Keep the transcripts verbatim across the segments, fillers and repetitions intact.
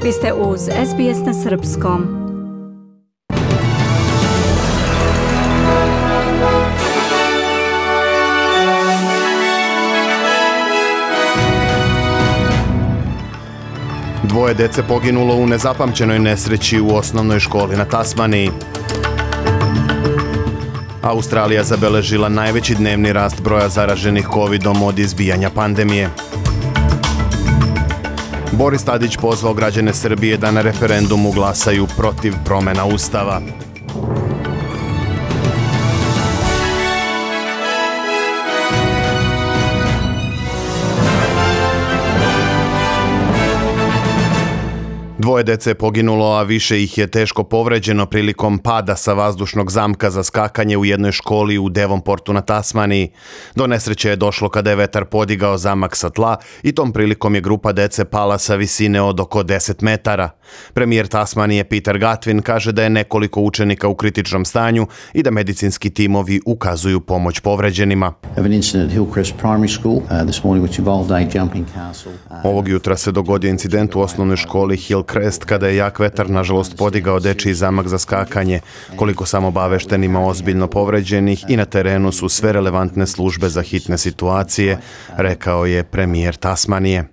Vi ste uz S B S na srpskom. Dvoje dece poginulo u nezapamćenoj nesreći u osnovnoj školi na Tasmaniji. Australija zabeležila najveći dnevni rast broja zaraženih kovidom od izbijanja pandemije. Boris Tadić pozvao građane Srbije da na referendumu glasaju protiv promjena Ustava. Dvoje dece je poginulo, a više ih je teško povređeno prilikom pada sa vazdušnog zamka za skakanje u jednoj školi u Devonportu na Tasmaniji. Do nesreće je došlo kada je vetar podigao zamak sa tla i tom prilikom je grupa dece pala sa visine od oko deset metara. Premijer Tasmanije Peter Gutwein kaže da je nekoliko učenika u kritičnom stanju i da medicinski timovi ukazuju pomoć povređenima. Ovog jutra se dogodio incident u osnovnoj školi Hillcrest kada je jak vetar nažalost podigao dečiji zamak za skakanje. Koliko sam obavešten, ima ozbiljno povređenih i na terenu su sve relevantne službe za hitne situacije, rekao je premijer Tasmanije.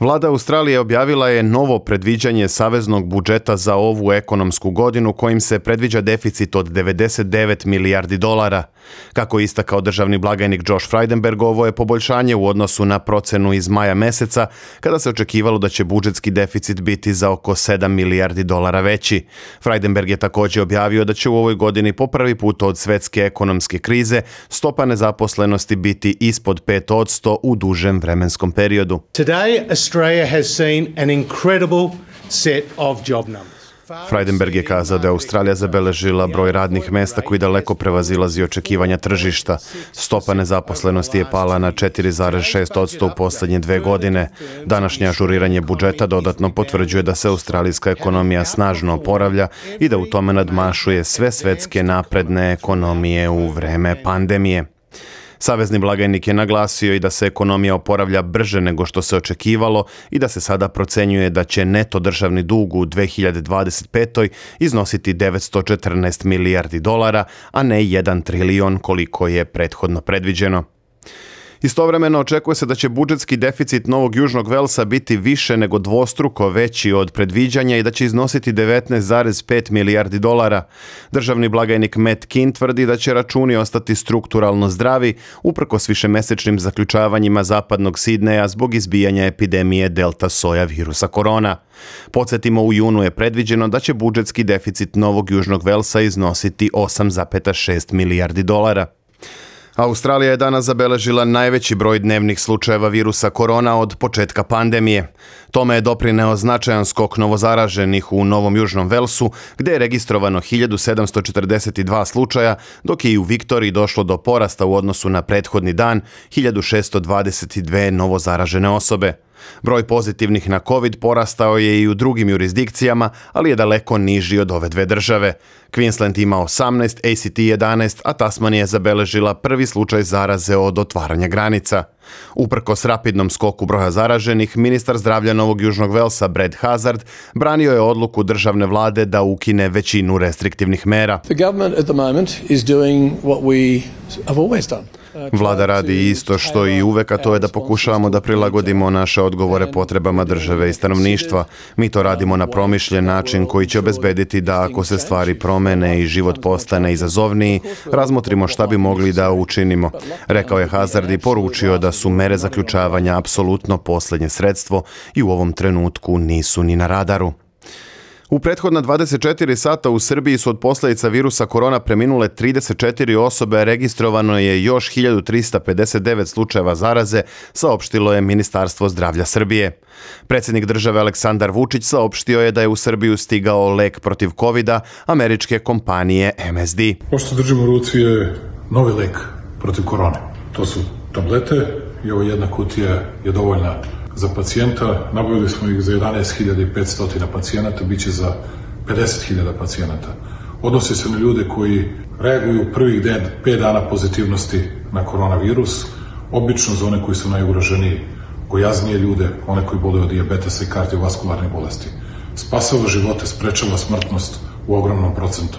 Vlada Australije objavila je novo predviđanje saveznog budžeta za ovu ekonomsku godinu kojim se predviđa deficit od devedeset devet milijardi dolara. Kako je istakao državni blagajnik Josh Frydenberg, ovo je poboljšanje u odnosu na procenu iz maja meseca kada se očekivalo da će budžetski deficit biti za oko sedam milijardi dolara veći. Frydenberg je također objavio da će u ovoj godini po prvi put od svetske ekonomske krize stopa nezaposlenosti biti ispod pet posto u dužem vremenskom periodu. Today, Australia has seen an incredible set of job numbers. Frydenberg je kazao da je Australija zabeležila broj radnih mesta koji daleko prevazilazi očekivanja tržišta. Stopa nezaposlenosti je pala na četiri zarez šest posto u posljednje dve godine. Današnje ažuriranje budžeta dodatno potvrđuje da se australijska ekonomija snažno oporavlja i da u tome nadmašuje sve svetske napredne ekonomije u vreme pandemije. Savezni blagajnik je naglasio i da se ekonomija oporavlja brže nego što se očekivalo i da se sada procenjuje da će neto državni dug u dve hiljade dvadeset petoj iznositi devetsto četrnaest milijardi dolara, a ne jedan trilion koliko je prethodno predviđeno. Istovremeno očekuje se da će budžetski deficit Novog Južnog Velsa biti više nego dvostruko veći od predviđanja i da će iznositi devetnaest zarez pet milijardi dolara. Državni blagajnik Matt Kean tvrdi da će računi ostati strukturalno zdravi uprkos višemesečnim zaključavanjima zapadnog Sidneja zbog izbijanja epidemije delta soja virusa korona. Podsjetimo, u junu je predviđeno da će budžetski deficit Novog Južnog Velsa iznositi osam zarez šest milijardi dolara. Australija je danas zabeležila najveći broj dnevnih slučajeva virusa korona od početka pandemije. Tome je doprineo značajan skok novozaraženih u Novom Južnom Velsu, gdje je registrovano hiljadu sedamsto četrdeset dva slučaja, dok je i u Viktoriji došlo do porasta u odnosu na prethodni dan, hiljadu šessto dvadeset dve novozaražene osobe. Broj pozitivnih na COVID porastao je i u drugim jurisdikcijama, ali je daleko niži od ove dve države. Queensland ima osamnaest, A C T jedanaest, a Tasmanija je zabeležila prvi slučaj zaraze od otvaranja granica. Uprkos rapidnom skoku broja zaraženih, ministar zdravlja Novog Južnog Velsa Brad Hazzard branio je odluku državne vlade da ukine većinu restriktivnih mera. The government at the moment is doing what we have always done. Vlada radi isto što i uvek, a to je da pokušavamo da prilagodimo naše odgovore potrebama države i stanovništva. Mi to radimo na promišljen način koji će obezbediti da ako se stvari promene i život postane izazovniji, razmotrimo šta bi mogli da učinimo, rekao je Hazzard i poručio da su mere zaključavanja apsolutno posljednje sredstvo i u ovom trenutku nisu ni na radaru. U prethodna dvadeset četiri sata u Srbiji su od posljedica virusa korona preminule trideset četiri osobe, a registrovano je još hiljadu trista pedeset devet slučajeva zaraze, saopštilo je Ministarstvo zdravlja Srbije. Predsjednik države Aleksandar Vučić saopštio je da je u Srbiju stigao lek protiv kovida američke kompanije M S D. Ovo što držimo u ruci je novi lek protiv korone. To su tablete i ovo jedna kutija je dovoljna za pacijenta. Nabavili smo ih za jedanaest hiljada petsto pacijenata, bit će za pedeset hiljada pacijenata. Odnosi se na ljude koji reaguju prvih pet dana pozitivnosti na koronavirus, obično za one koji su najugroženiji, gojaznije ljude, one koji boluju od dijabetesa i kardiovaskularne bolesti. Spasava živote, sprečava smrtnost u ogromnom procentu.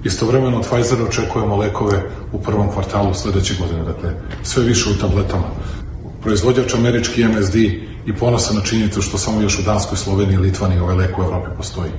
Istovremeno od Pfizera očekujemo lekove u prvom kvartalu sledeće godine, dakle sve više u tabletama. Proizvođač američki M S D i ponosan na činjenicu što samo još u Danskoj, Sloveniji i Litvaniji ovaj lek u Evropi postoji.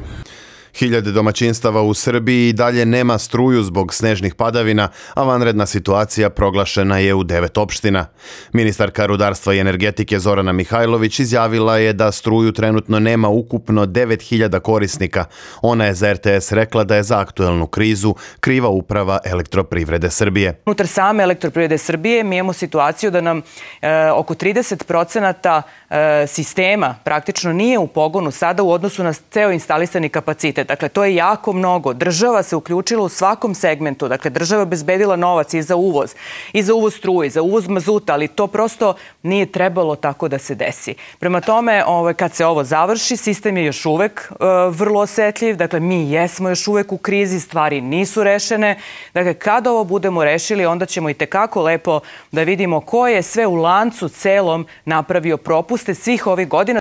Hiljade domaćinstava u Srbiji i dalje nema struju zbog snežnih padavina, a vanredna situacija proglašena je u devet opština. Ministarka rudarstva i energetike Zorana Mihajlović izjavila je da struju trenutno nema ukupno devet hiljada korisnika. Ona je za R T S rekla da je za aktuelnu krizu kriva uprava Elektroprivrede Srbije. Unutar same Elektroprivrede Srbije mi imamo situaciju da nam e, oko trideset procenata e, sistema praktično nije u pogonu sada u odnosu na ceo instalisani kapacitet. Dakle, to je jako mnogo. Država se uključila u svakom segmentu. Dakle, država je obezbedila novac i za uvoz, i za uvoz struje, i za uvoz mazuta, ali to prosto nije trebalo tako da se desi. Prema tome, ovaj, kad se ovo završi, sistem je još uvek e, vrlo osetljiv. Dakle, mi jesmo još uvek u krizi, stvari nisu rešene. Dakle, kad ovo budemo rešili, onda ćemo i tekako lepo da vidimo ko je sve u lancu celom napravio propuste svih ovih godina.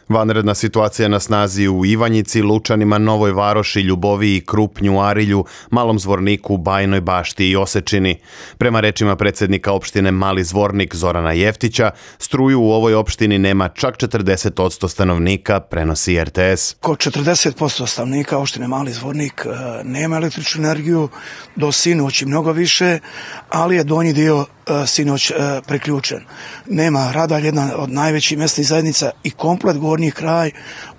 Vanredna situacija na snazi u Ivanjici, Lučanima, Novoj Varoši, Ljuboviji, Krupnju, Arilju, Malom Zvorniku, Bajnoj Bašti i Osečini. Prema rečima predsjednika opštine Mali Zvornik Zorana Jeftića, struju u ovoj opštini nema čak četrdeset posto stanovnika, prenosi R T S. Kod četrdeset posto stanovnika opštine Mali Zvornik nema električnu energiju, do sinoć i mnogo više, ali je donji dio sinoć preključen. Nema Radalj, jedna od najvećih mesnih zajednica i komplet gornji kraj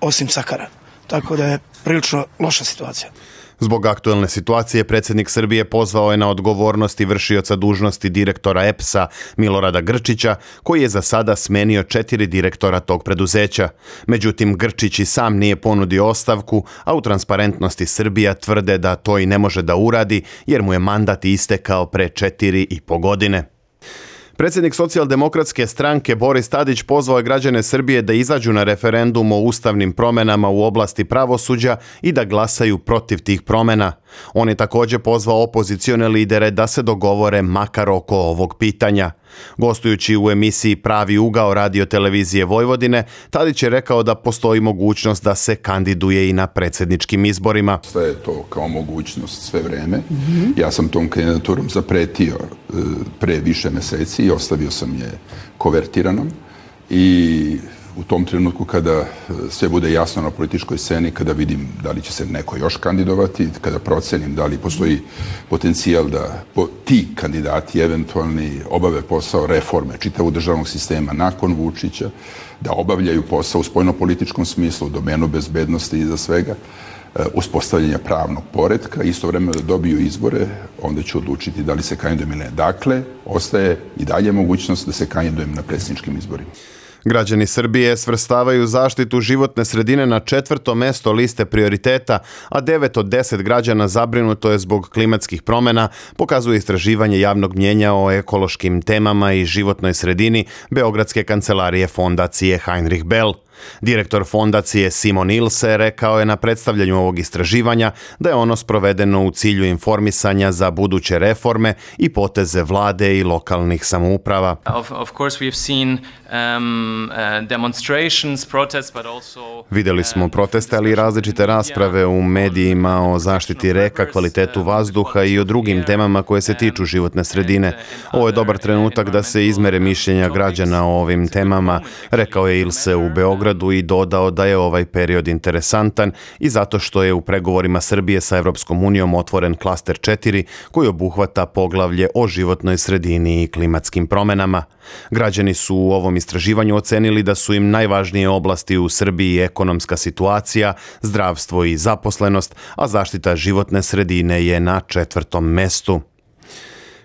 osim Sakara. Tako da je prilično loša situacija. Zbog aktuelne situacije, predsjednik Srbije pozvao je na odgovornost i vršioca dužnosti direktora E P S-a Milorada Grčića, koji je za sada smenio četiri direktora tog preduzeća. Međutim, Grčić i sam nije ponudio ostavku, a u Transparentnosti Srbija tvrde da to i ne može da uradi, jer mu je mandat istekao pre četiri i po godine. Predsjednik socijaldemokratske stranke Boris Tadić pozvao je građane Srbije da izađu na referendum o ustavnim promenama u oblasti pravosuđa i da glasaju protiv tih promena. On je također pozvao opozicione lidere da se dogovore makar oko ovog pitanja. Gostujući u emisiji Pravi ugao radio televizije Vojvodine, Tadić je rekao da postoji mogućnost da se kandiduje i na predsjedničkim izborima. Sve je to kao mogućnost sve vreme. Mm-hmm. Ja sam tom kandidaturom zapretio e, pre više meseci i ostavio sam je kovertiranom i u tom trenutku kada sve bude jasno na političkoj sceni, kada vidim da li će se neko još kandidovati, kada procenim da li postoji potencijal da po, ti kandidati eventualni obave posao reforme čitavog državnog sistema nakon Vučića, da obavljaju posao u spoljnopolitičkom smislu, u domenu bezbednosti i za svega, uspostavljanja pravnog poretka, istovremeno da dobiju izbore, onda ću odlučiti da li se kandidujem ili ne. Dakle, ostaje i dalje mogućnost da se kandidujem na predsjedničkim izborima. Građani Srbije svrstavaju zaštitu životne sredine na četvrto mesto liste prioriteta, a devet od deset građana zabrinuto je zbog klimatskih promjena, pokazuje istraživanje javnog mnjenja o ekološkim temama i životnoj sredini Beogradske kancelarije fondacije Heinrich Bell. Direktor fondacije Simon Ilse rekao je na predstavljanju ovog istraživanja da je ono sprovedeno u cilju informisanja za buduće reforme i poteze vlade i lokalnih samouprava. Of, of course we've seen um, uh, demonstrations, protests, but also Vidjeli smo proteste, ali i različite rasprave u medijima o zaštiti reka, kvalitetu vazduha i o drugim temama koje se tiču životne sredine. Ovo je dobar trenutak da se izmere mišljenja građana o ovim temama, rekao je Ilse u Beogradu i dodao da je ovaj period interesantan i zato što je u pregovorima Srbije sa Evropskom unijom otvoren klaster četiri koji obuhvata poglavlje o životnoj sredini i klimatskim promjenama. Građani su u ovom istraživanju ocenili da su im najvažnije oblasti u Srbiji ekonomska situacija, zdravstvo i zaposlenost, a zaštita životne sredine je na četvrtom mestu.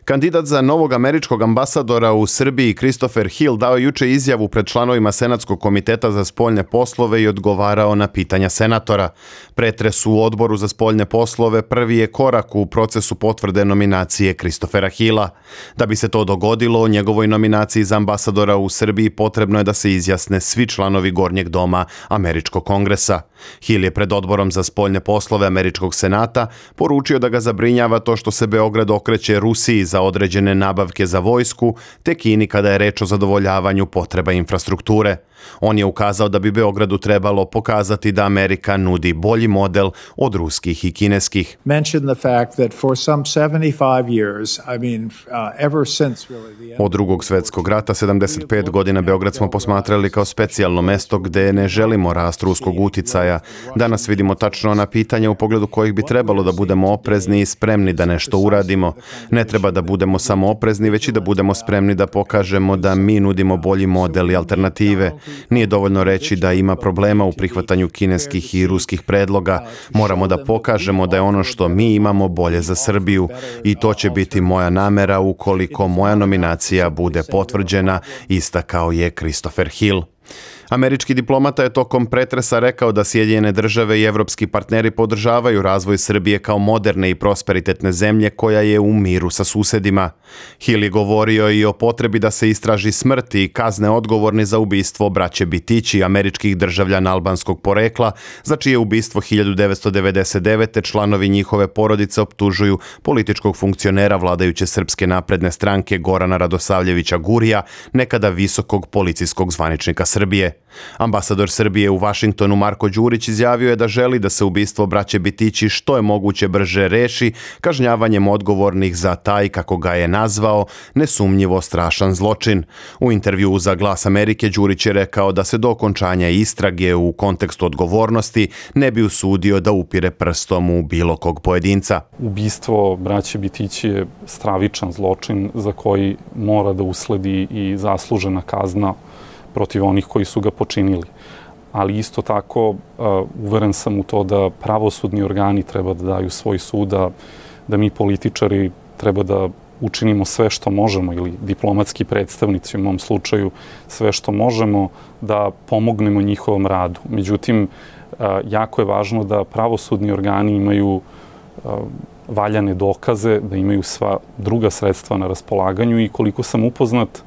Kandidat za novog američkog ambasadora u Srbiji Christopher Hill dao juče izjavu pred članovima Senatskog komiteta za spoljne poslove i odgovarao na pitanja senatora. Pretres u odboru za spoljne poslove prvi je korak u procesu potvrde nominacije Christophera Hilla. Da bi se to dogodilo, o njegovoj nominaciji za ambasadora u Srbiji potrebno je da se izjasne svi članovi Gornjeg doma Američkog kongresa. Hill je pred odborom za spoljne poslove Američkog senata poručio da ga zabrinjava to što se Beograd okreće Rusiji za za određene nabavke za vojsku, te Kini kada je reč o zadovoljavanju potreba infrastrukture. On je ukazao da bi Beogradu trebalo pokazati da Amerika nudi bolji model od ruskih i kineskih. Od drugog svjetskog rata, sedamdeset pet godina, Beograd smo posmatrali kao specijalno mesto gde ne želimo rast ruskog uticaja. Danas vidimo tačno ona pitanja u pogledu kojih bi trebalo da budemo oprezni i spremni da nešto uradimo. Ne treba da budemo samo oprezni, već i da budemo spremni da pokažemo da mi nudimo bolji model i alternative. Nije dovoljno reći da ima problema u prihvatanju kineskih i ruskih predloga. Moramo da pokažemo da je ono što mi imamo bolje za Srbiju i to će biti moja namera ukoliko moja nominacija bude potvrđena, istakao je Christopher Hill. Američki diplomata je tokom pretresa rekao da Sjedinjene države i evropski partneri podržavaju razvoj Srbije kao moderne i prosperitetne zemlje koja je u miru sa susedima. Hill je govorio i o potrebi da se istraži smrt i kazne odgovorni za ubistvo braće Bitići, američkih državljana albanskog porekla, za čije ubistvo hiljadu devetsto devedeset devete članovi njihove porodice optužuju političkog funkcionera vladajuće Srpske napredne stranke Gorana Radosavljevića Gurija, nekada visokog policijskog zvaničnika Srbije. Ambasador Srbije u Vašingtonu Marko Đurić izjavio je da želi da se ubistvo braće Bitići što je moguće brže reši kažnjavanjem odgovornih za taj, kako ga je nazvao, nesumnjivo strašan zločin. U intervjuu za Glas Amerike Đurić je rekao da se do okončanja istrage u kontekstu odgovornosti ne bi usudio da upire prstom u bilo kog pojedinca. Ubistvo braće Bitići je stravičan zločin za koji mora da usledi i zaslužena kazna protiv onih koji su ga počinili. Ali isto tako uh, uveren sam u to da pravosudni organi treba da daju svoj sud, da, da mi političari treba da učinimo sve što možemo, ili diplomatski predstavnici u mom slučaju, sve što možemo da pomognemo njihovom radu. Međutim, uh, jako je važno da pravosudni organi imaju uh, valjane dokaze, da imaju sva druga sredstva na raspolaganju i koliko sam upoznat,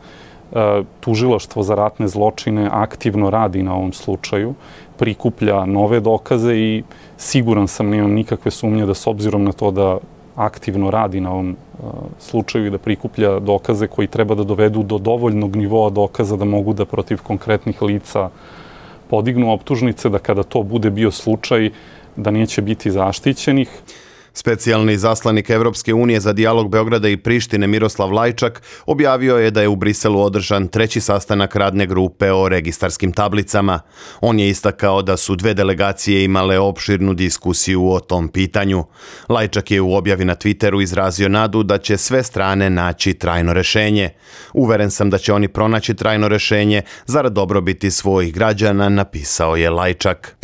tužilaštvo za ratne zločine aktivno radi na ovom slučaju, prikuplja nove dokaze i siguran sam, nemam nikakve sumnje da s obzirom na to da aktivno radi na ovom slučaju i da prikuplja dokaze koji treba da dovedu do dovoljnog nivoa dokaza da mogu da protiv konkretnih lica podignu optužnice, da kada to bude bio slučaj da neće biti zaštićenih. Specijalni zaslanik Evropske unije za dijalog Beograda i Prištine Miroslav Lajčak objavio je da je u Briselu održan treći sastanak radne grupe o registarskim tablicama. On je istakao da su dve delegacije imale opširnu diskusiju o tom pitanju. Lajčak je u objavi na Twitteru izrazio nadu da će sve strane naći trajno rešenje. Uveren sam da će oni pronaći trajno rešenje zarad dobrobiti svojih građana, napisao je Lajčak.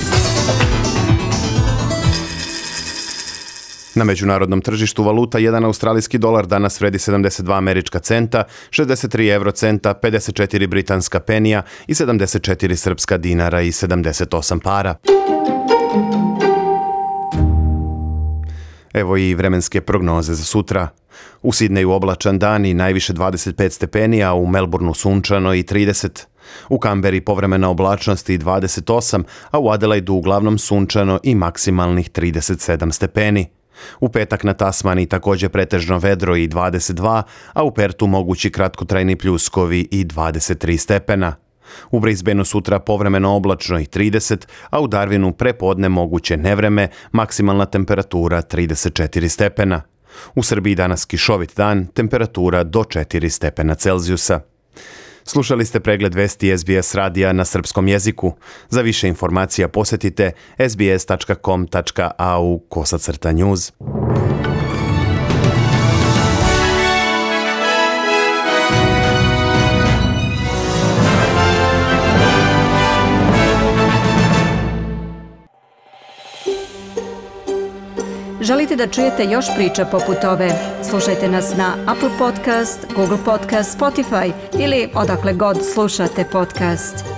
Na međunarodnom tržištu valuta jedan australijski dolar danas vredi sedamdeset dva američka centa, šezdeset tri evrocenta, pedeset četiri britanska penija i sedamdeset četiri srpska dinara i sedamdeset osam para. Evo i vremenske prognoze za sutra. U Sidneju oblačan dan i najviše dvadeset pet stepeni, a u Melbourneu sunčano i trideset. U Kamberi povremena oblačnost i dvadeset osam, a u Adelaidu uglavnom sunčano i maksimalnih trideset sedam stepeni. U petak na Tasmani također pretežno vedro i dvadeset dva, a u Pertu mogući kratkotrajni pljuskovi i dvadeset tri stepena. U Brisbaneu sutra povremeno oblačno i trideset, a u Darwinu prepodne moguće nevreme, maksimalna temperatura trideset četiri stepena. U Srbiji danas kišovit dan, temperatura do četiri stepena Celzijusa. Slušali ste pregled vesti S B S radija na srpskom jeziku. Za više informacija posjetite s b s tačka com tačka a u kosacrta news. Želite da čujete još priča poput ove? Slušajte nas na Apple Podcast, Google Podcast, Spotify ili odakle god slušate podcast.